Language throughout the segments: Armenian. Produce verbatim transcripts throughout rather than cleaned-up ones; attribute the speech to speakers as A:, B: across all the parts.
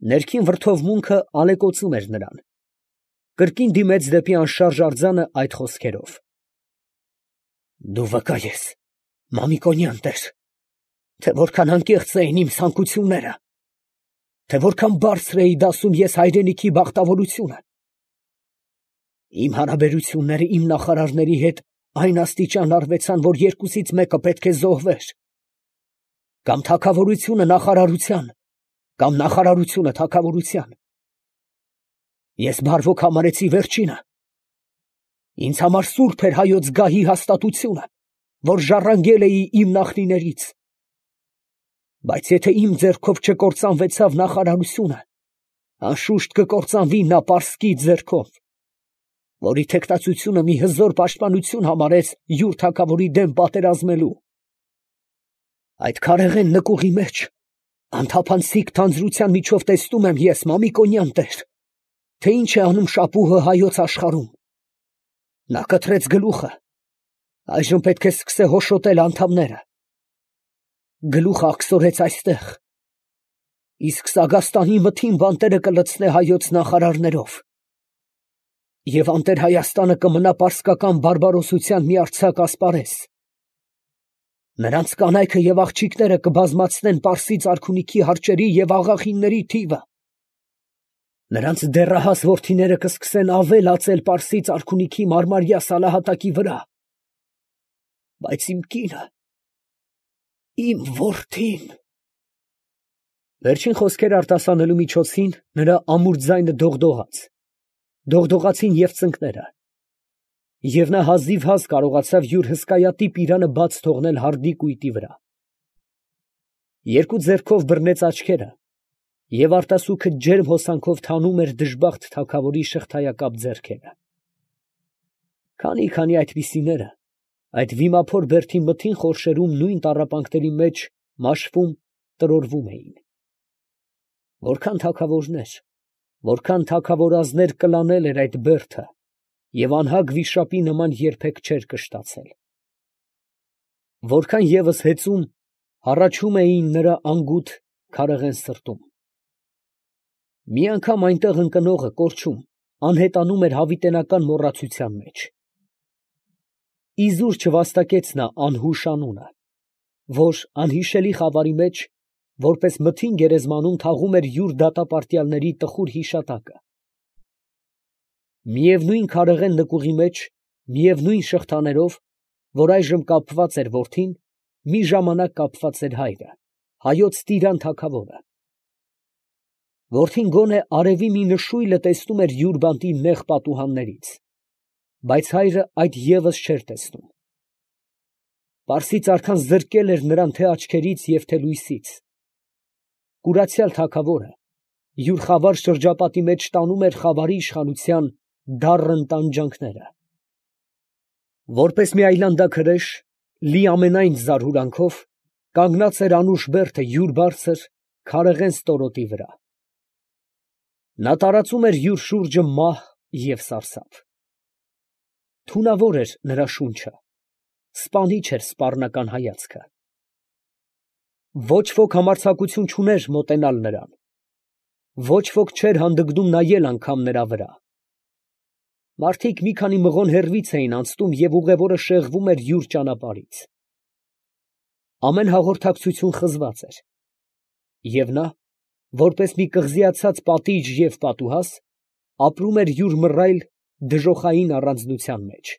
A: Ներքին վրդովմունքը ալեկոծում էր նրան։ Կրկին դիմեց դեպի անշարժ արձանը այդ խոսքերով. «Դու վկա ես, Մամիկոնյան տեր, թե որքան անկեղծ էին իմ ցանկությունները, թե որքան բարձր էի դասում ես հայրենիքի բախտավորությունը։ Իմ հարաբերությունները իմ նախարարների հետ այն աստիճան արվեցան, որ երկուսից մեկը պետք է զոհվեր. կամ թագավորությունը նախարարության, կամ նախարարությունը թագավորության։ Ես բարվոք համարեցի վերջինը. ինձ համար սուրբ էր հայոց գահի հաստատությունը, որ ժառանգել էի իմ նախնիներից։ Բայց եթե իմ ձեռքով չկործանվեցավ նախարարությունը, անշուշտ կկործանվի նա պարսկի ձեռքով, որի թեկտածությունը մի հզոր պաշտպանություն համարեց յուր թագավորի դեմ պատերազմելու։ Այդ քարեղեն նկուղի մեջ անթափանցիկ թանձրության միջով տեսնում եմ ես, Մամիկոնյան տեր, թե ինչ է անում շապուհը հայոց աշխարհում։ Նա կտրեց գլուխը, այժմ պետք է սկսե հոշոտել անդամները։ Գլուխը աքսորեց այստեղ, իսկ Սագաստանի մթին բանտերը կլցնե հայոց նախարարներով, և անտեր Հայաստանը կմնա պարսկական բարբարոսության մի արձակ ասպարեզ։ Նրանց կանայքը և աղջիկները կբազմացնեն Պարսից արքունիքի հարճերի և աղախինների թիվը։ Նրանց դեռահաս որդիները կսկսեն ավել ածել Պարսից արքունիքի մարմարյա սալահատակի վրա։ Բայց իմ կինը… իմ որդին… Վերջին խոսքերը արտասանելու միջոցին նրա ամուր ձայնը դողդողաց, դողդողացին և ծնկները, և նա հազիվհազ կարողացավ յուր հսկայատիպ իրանը բաց թողնել հարդի կույտի վրա։ Երկու ձեռքով բռնեց աչքերը, և արտասուքը ջերմ հոսանքով թանում էր դժբախտ թագավորի շղթայակապ ձեռքերը։ Քանի՛֊քանի այդպիսիները այդ վիմափոր բերդի մթին խորշերում նույն տառապանքների մեջ մաշվում, տրորվում էին։ Որքան թագավորներ, որքան թագավորազներ կլանել էր այդ բերդը, և անհագ վիշապի նման երբեք չէր կշտացել։ Որքան ևս հեծում, հառաչում էին նրա անգութ, քարեղեն սրտում։ Մի անգամ այնտեղ ընկնողը կորչում, անհետանում էր հավիտենական մոռացության մեջ։ Իզուր չվաստակեց նա անհուշ անունը, որ անհիշելի խավարի մեջ, որպես մթին գերեզմանում թաղում էր յուր դատապարտյալների տխուր հիշատակը։ Միևնույն քարեղեն նկուղի մեջ, միևնույն շղթաներով, որ այժմ կապված էր որդին, մի ժամանակ կապված էր հայրը, հայոց տիրան թագավորը։ Որդին գոնե արևի մի նշույլը տեսնում էր յուր բանտի նեղ պատուհաններից, բայց հայրը այդ ևս չէր տեսնում։ Պարսից արքան զրկել էր նրան թե աչքերից և թե լույսից։ Կուրացյալ թագավորը յուր խավար շրջապատի մեջ տանում էր խավարի իշխանության դառն տանջանքները։ Որպես մի այլանդակ հրեշ, լի ամենայն զարհուրանքով, կանգնած էր անուշ բերդը յուր բարձր, քարեղեն ստորոտի վրա։ Նա տարածում էր յուր շուրջը մահ և սարսափ։ Թունավոր էր նրա շունչը, սպանիչ էր սպառնական հայացքը։ Ոչ ոք համարձակություն չուներ մոտենալ նրան, ոչ ոք չէր հանդգնում նայել անգամ նրա վրա։ Մարդիկ մի քանի մղոն հեռվից էին անցնում, և ուղևորը շեղվում էր յուր ճանապարհից։ Ամեն հաղորդակցություն խզված էր, և նա, որպես մի կղզիացած պատիժ և պատուհաս, ապրում էր յուր մռայլ, դժոխային առանձնության մեջ։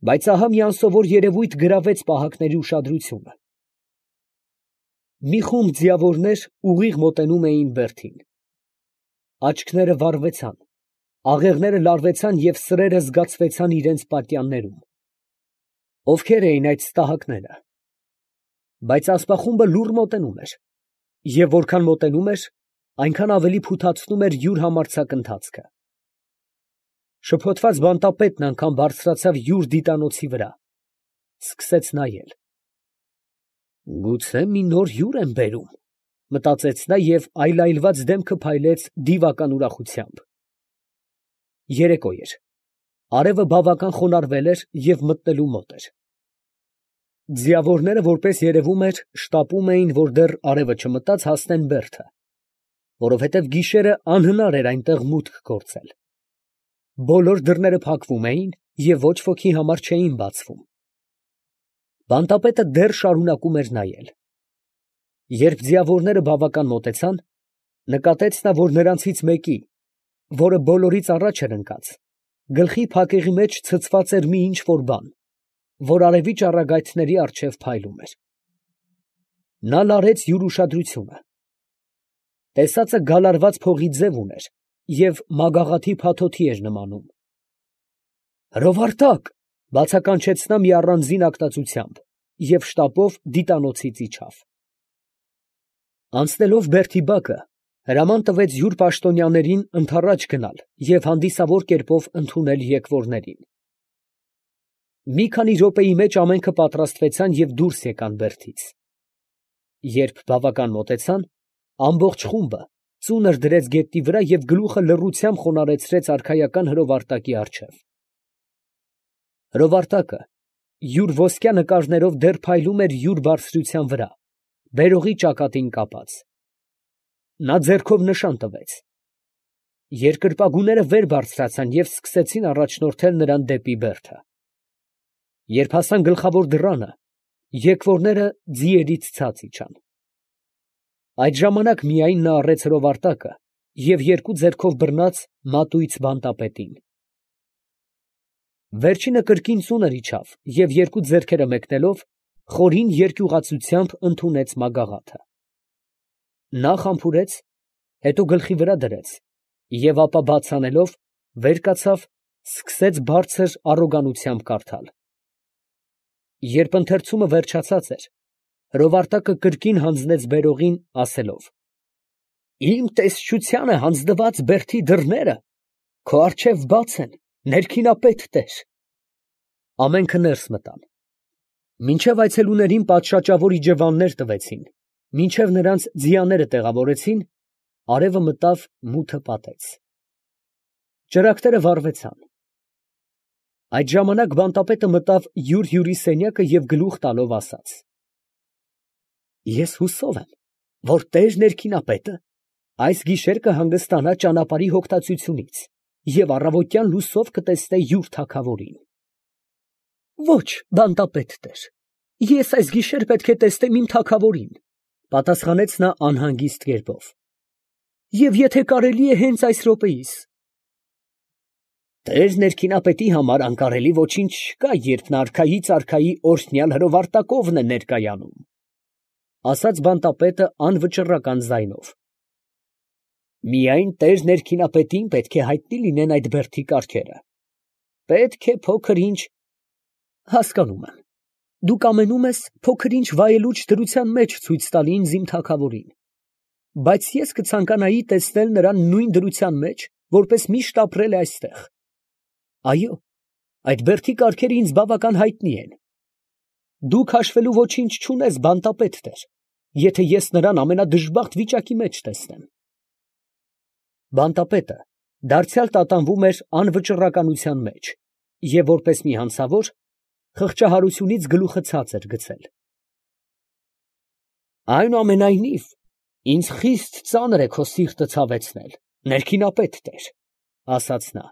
A: Բայց ահա մի անսովոր երևույթ գրավեց պահակների ուշադրությունը։ Մի խումբ ձիավորներ ուղիղ մոտենում էին բերդին։ Աչքները վառվեցան, աղեղները լարվեցան և սրերը զգացվեցան իրանց պատյաններում։ Ովքե՞ր էին այդ ստահակները։ Բայց ասպախումբը լուռ մոտենում էր, և որքան մոտենում էր, այնքան ավելի փութացնում էր յուր համարձակ ընթացքը։ Շփոթված բանտապետն անգամ բարձրացավ յուր դիտանոցի վրա, սկսեց նայել։ «Գուցե մի նոր հյուր եմ բերում», մտածեց նա և այլայլված դեմքը փայլեց դիվական ուրախությամբ։ Երեկո էր, արևը բավական խոնարհվել էր և մթնելու մոտ էր։ Ձիավորները, որպես երևում էր, շտապում էին, որ դեռ արևը չմտած, հասնեն բերդը, որովհետև գիշերը անհնար էր այնտեղ մուտք գործել։ Բոլոր դռները փակվում էին և ոչ ոքի համար չէին բացվում։ Բանտապետը դեռ շարունակում էր նայել։ Երբ ձիավորները բավական մոտեցան, նկատեց նա, որ նրանցից մեկի, որը բոլորից առաջ էր ընկած, գլխի փակեղի մեջ ցցված էր մի ինչ֊որ բան, որ արևի ճառագայթների առջև փայլում էր։ Նա լարեց յուր ուշադրությունը։ Տեսածը գալարված փողի ձև ուներ և մագաղաթի փաթոթի էր նմանում։ «Հրովարտակ», ֊ բացականչեց նա մի առանձին ակտածությամբ և շտապով դիտանոցից իջավ։ Անցնելով բերդի բակը, հրաման տվեց յուր պաշտոնյաներին ընդառաջ գնալ և հանդիսավոր կերպով ընդունել եկվորներին։ Մի քանի րոպեի մեջ ամենքը պատրաստվեցան և դուրս եկան բերդից։ Երբ բավական մոտեցան, ամբողջ խումբը ծունր դրեց գետնի վրա և գլուխը լռությամբ խոնարհեցրեց արքայական հրովարտակի առջև։ Հրովարտակը յուր ոսկյա նկարներով դեռ փայլում էր յուր բարձրության վրա, բերողի ճակատին կապած։ Նա ձեռքով նշան տվեց։ Երկրպագուները վեր բարձրացան և սկսեցին առաջնորդել նրան դեպի բերդը։ Երբ հասան գլխավոր դռանը, եկվորները ձիերից ցած իջան։ Այդ ժամանակ միայն նա առեց հրովարտակը և երկու ձեռքով բռնած մատույց բանտապետին։ Վերջինը կրկին ծունր իջավ և երկու ձեռքերը մեկնելով, խորին երկյուղացությամբ ընդունեց մագաղաթը։ Նախ համբուրեց, հետո գլխի վրա դրեց և ապա բաց անելով, վեր կացավ, սկսեց բարձր առոգանությամբ կարդալ։ Երբ ընթերցումը վերջացած էր, հրովարտակը կրկին հանձնեց բերողին, ասելով. «Իմ տեսչությանը հանձնված բերդի դռները քո առջև բաց են, ներքինապետ տեր»։ Ամենքը ներս մտան։ Մինչև այցելուներին պատշաճավոր իջևաններ տվեցին, մինչև նրանց ձիաները տեղավորեցին, արևը մտավ, մութը պատեց։ Ճրագները վառվեցան։ Այդ ժամանակ բանտապետը մտավ յուր֊յուրի սենյակը և գլուխ տալով ասաց. «Ես հուսով եմ, որ տեր ներքինապետը այս գիշեր կհանգստանա ճանապարհի հոգտացությունից և առավոտյան լուսով կտեսնե յուր թագավորին»։ «Ոչ, բանտապետ տեր, ես այս գիշեր պետք է տեսնեմ իմ թագավորին», ֊ պատասխանեց նա անհանգիստ կերպով, «և եթե կարելի է հենց այս րոպեիս»։ «Տեր ներքինապետի համար անկարելի ոչինչ չկա, երբ նա արքայից արքայի օրհնյալ հրովարտակովն է ներկայանում», ֊ ասաց բանտապետը անվճռական ձայնով։ «Միայն տեր ներքինապետին պետք է հայտնի լինեն այդ բերդի կառքերը։ Պետք է փոքր֊ինչ… հասկանում եմ, դուք ամենում ես փոքր֊ինչ վայելուչ դրության մեջ ցույց տալ ինձ իմ թագավորին, բայց ես կցանկանայի տեսնել նրան նույն դրության մեջ, որպես միշտ ապրել է այստեղ։ Այո, այդ բերդի կառքերը ինձ բավական հայտնի են։ Դուք հաշվելու ոչինչ չունես, բանտապետ տեր, եթե ես նրան ամենադժբախտ վիճակի մեջ տեսնեմ»։ Բանտապետը դարձյալ տատանվում էր անվճռականության մեջ և, որպես մի հանցավոր, խղճահարությունից գլուխը ցած էր գցել։ «Այնուամենայնիվ, ինձ խիստ ծանր է քո սիրտը ցավեցնել, ներքինապետ տեր», ֊ ասաց նա։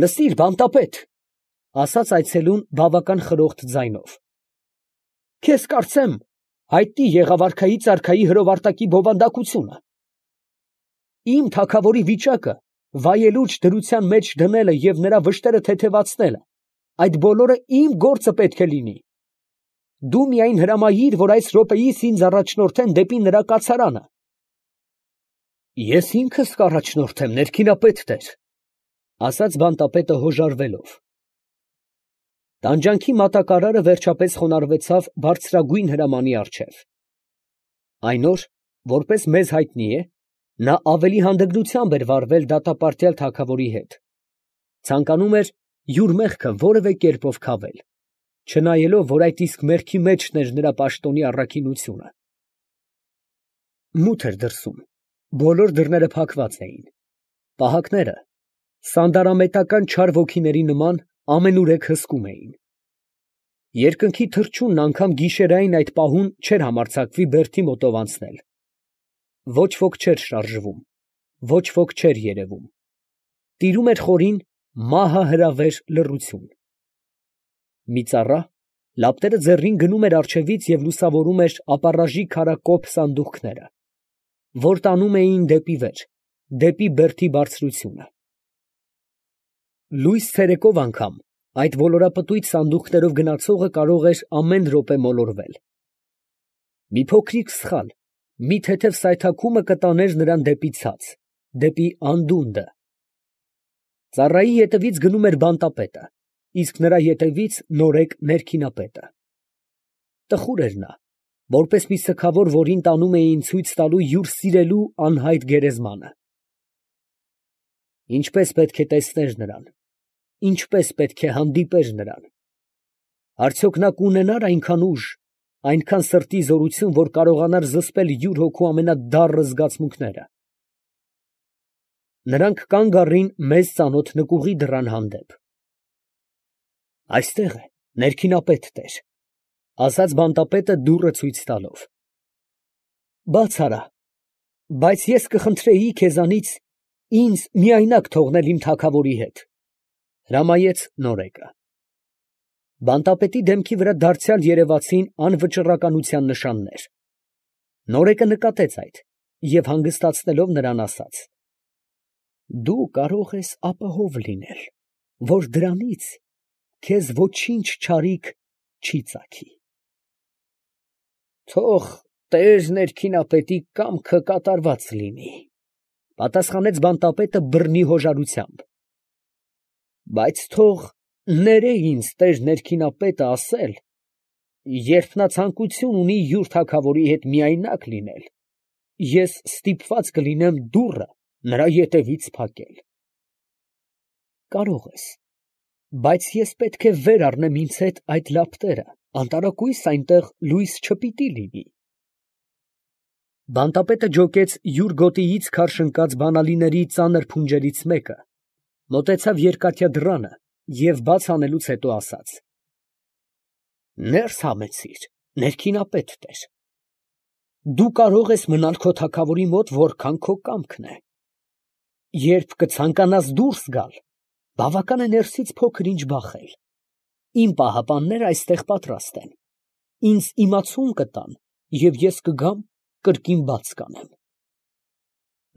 A: «Լսիր, բանտապետ, ֊ ասաց այցելուն բավական խրոխտ ձայնով, ֊ քեզ կարծեմ հայտնի եղավ արքայից արքայի հրովարտակի բովանդակությունը։ Իմ թագավորի վիճակը վայելուչ դրության մեջ դնելը և նրա վշտերը թեթևացնելը, այդ բոլորը իմ գործը պետք է լինի։ Դու միայն հրամայիր, որ այս րոպեիս ինձ առաջնորդեն դեպի նրա կացարանը»։ «Ես ինքս կառաջնորդեմ, ներքինապետ տեր», ֊ ասաց բանտապետը հոժարվելով։ Տանջանքի մատակարարը վերջապես խոնարհվեցավ բարձրագույն հրամանի առջև։ Այն օր, որպես մեզ հայտնի է, նա ավելի հանդգնությամբ էր վարվել դատապարտյալ թագավորի հետ, ցանկանում էր յուր մեղքը որևէ կերպով քավել, չնայելով, որ այդ իսկ մեղքի մեջն էր նրա պաշտոնի առաքինությունը։ Մութ էր դրսում, բոլոր դռները փակված էին, պահակները սանդարամետական չար ոգիների նման ամենուրեք հսկում էին։ Երկնքի թռչունն անգամ գիշերային այդ պահուն չէր համարձակվի բերդի մոտով անցնել։ Ոչ ոք չէր շարժվում, ոչ ոք չէր երևում. տիրում էր խորին մահահրավեր լռություն։ Մի ծառա, լապտերը ձեռին, գնում էր առջևից և լուսավորում էր ապառաժի քարակոփ սանդուղքները, որ տանում էին դեպի վեր, դեպի բերդի բարձրությունը։ Լույս ցերեկով անգամ այդ ոլորապտույտ սանդուղքներով գնացողը կարող էր ամեն րոպե մոլորվել։ Մի փոքրիկ սխալ, մի թեթև սայթաքումը կտաներ նրան դեպի ցած, դեպի անդունդը։ Ծառայի ետևից գնում էր բանտապետը, իսկ նրա ետևից նորեկ ներքինապետը։ Տխուր էր նա, որպես մի սգավոր, որին տանում էին ցույց տալու յուր սիրելու անհայտ գերեզմանը։ Ինչպե՞ս պետք է տեսներ նրան, ինչպե՞ս պետք է հանդիպեր նրան։ Արդյոք նա կունենա՞ր այնքան ուժ, այնքան սրտի զորություն, որ կարողանար զսպել յուր հոգու ամենադառն զգացմունքները։ Նրանք կանգ առին մեզ ծանոթ նկուղի դռան հանդեպ։ Այստեղ է ներքինապետ տեր, ֊ ասաց բանտապետը դուռը ցույց տալով։ Բաց արա, բայց ես կխնդրեի քեզանից ինձ միայնակ թողնել իմ թագավորի հետ, ֊ հրամայեց նորեկը։ Բանտապետի դեմքի վրա դարձյալ երևացին անվճռականության նշաններ։ Նորեկը նկատեց այդ և հանգստացնելով նրան, ասաց. Դու կարող ես ապահով լինել, որ դրանից քեզ ոչինչ չարիք չի ծագի։ Թող տեր ներքինապետի կամքը կատարված լինի, ֊ պատասխանեց բանտապետը բռնի հոժարությամբ։ Բայց թող ներե ինձ տեր ներքինապետը ասել, երբ նա ցանկություն ունի յուր թագավորի հետ միայնակ լինել, ես ստիպված կլինեմ դուռը նրա ետևից փակել։ Կարող ես, բայց ես պետք է վեր առնեմ ինձ հետ այդ լապտերը, անտարակույս այնտեղ լույս չպիտի լինի։ Բանտապետը ջոկեց յուր գոտիից քարշ ընկած բանալիների ծանր փունջերից մեկը, մոտեցավ երկաթյա դռանը և բաց անելուց հետո ասաց. Ներս համեցիր, ներքինապետ տեր։ Դու կարող ես մնալ քո թագավորի մոտ որքան քո կամքն է։ Երբ կցանկանաս դուրս գալ, բավական է ներսից փոքր ինչ բախել։ Իմ պահապանները այստեղ պատրաստ են, ինձ իմացում կտան, և ես կգամ, կրկին բաց կանեմ։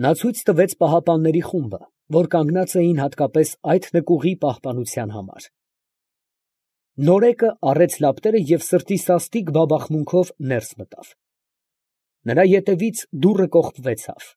A: Նա ցույց տվեց պահապանների խումբը, որ կանգնած էին հատկապես այդ նկուղի պահպանության համար։ Նորեկը առեց լապտերը և սրտի սաստիկ բաբախմունքով ներս մտավ։ Նրա ետևից դուռը կողպվեցավ։